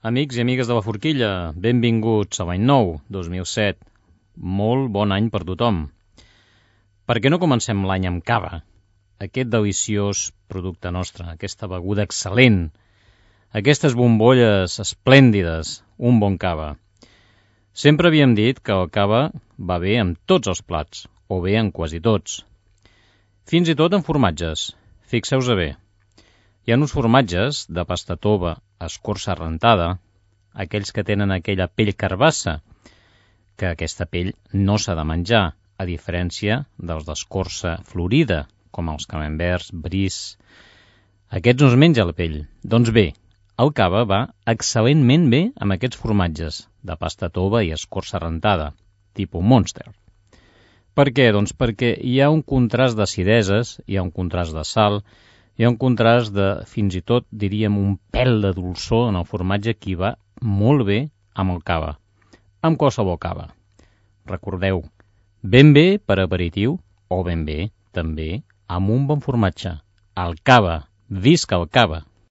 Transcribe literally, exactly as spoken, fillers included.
Amics i amigues de la Forquilla, benvinguts a l'any nou, dos mil set. Molt bon any per tothom. Per què no comencem l'any amb cava? Aquest deliciós producte nostre, aquesta beguda excel·lent, aquestes bombolles esplèndides, un bon cava. Sempre havíem dit que el cava va bé amb tots els plats, o bé en quasi tots. Fins i tot en formatges, fixeu-vos bé. Hi ha uns formatges de pasta tova, escorça rentada, aquells que tenen aquella pell carbassa, que aquesta pell no s'ha de menjar, a diferència dels d'escorça florida, com els camemberts, bris. Aquests no es menja la pell. Doncs bé, el cava va excel·lentment bé amb aquests formatges de pasta tova i escorça rentada, tipus Monster. Per què? Doncs perquè hi ha un contrast d'acideses, hi ha un contrast de sal, hi ha un contrast de, fins i tot, diríem, un pèl de dolçor en el formatge que va molt bé amb el cava, amb qualsevol cava. Recordeu, ben bé per aperitiu o ben bé, també, amb un bon formatge. El cava, visca el cava!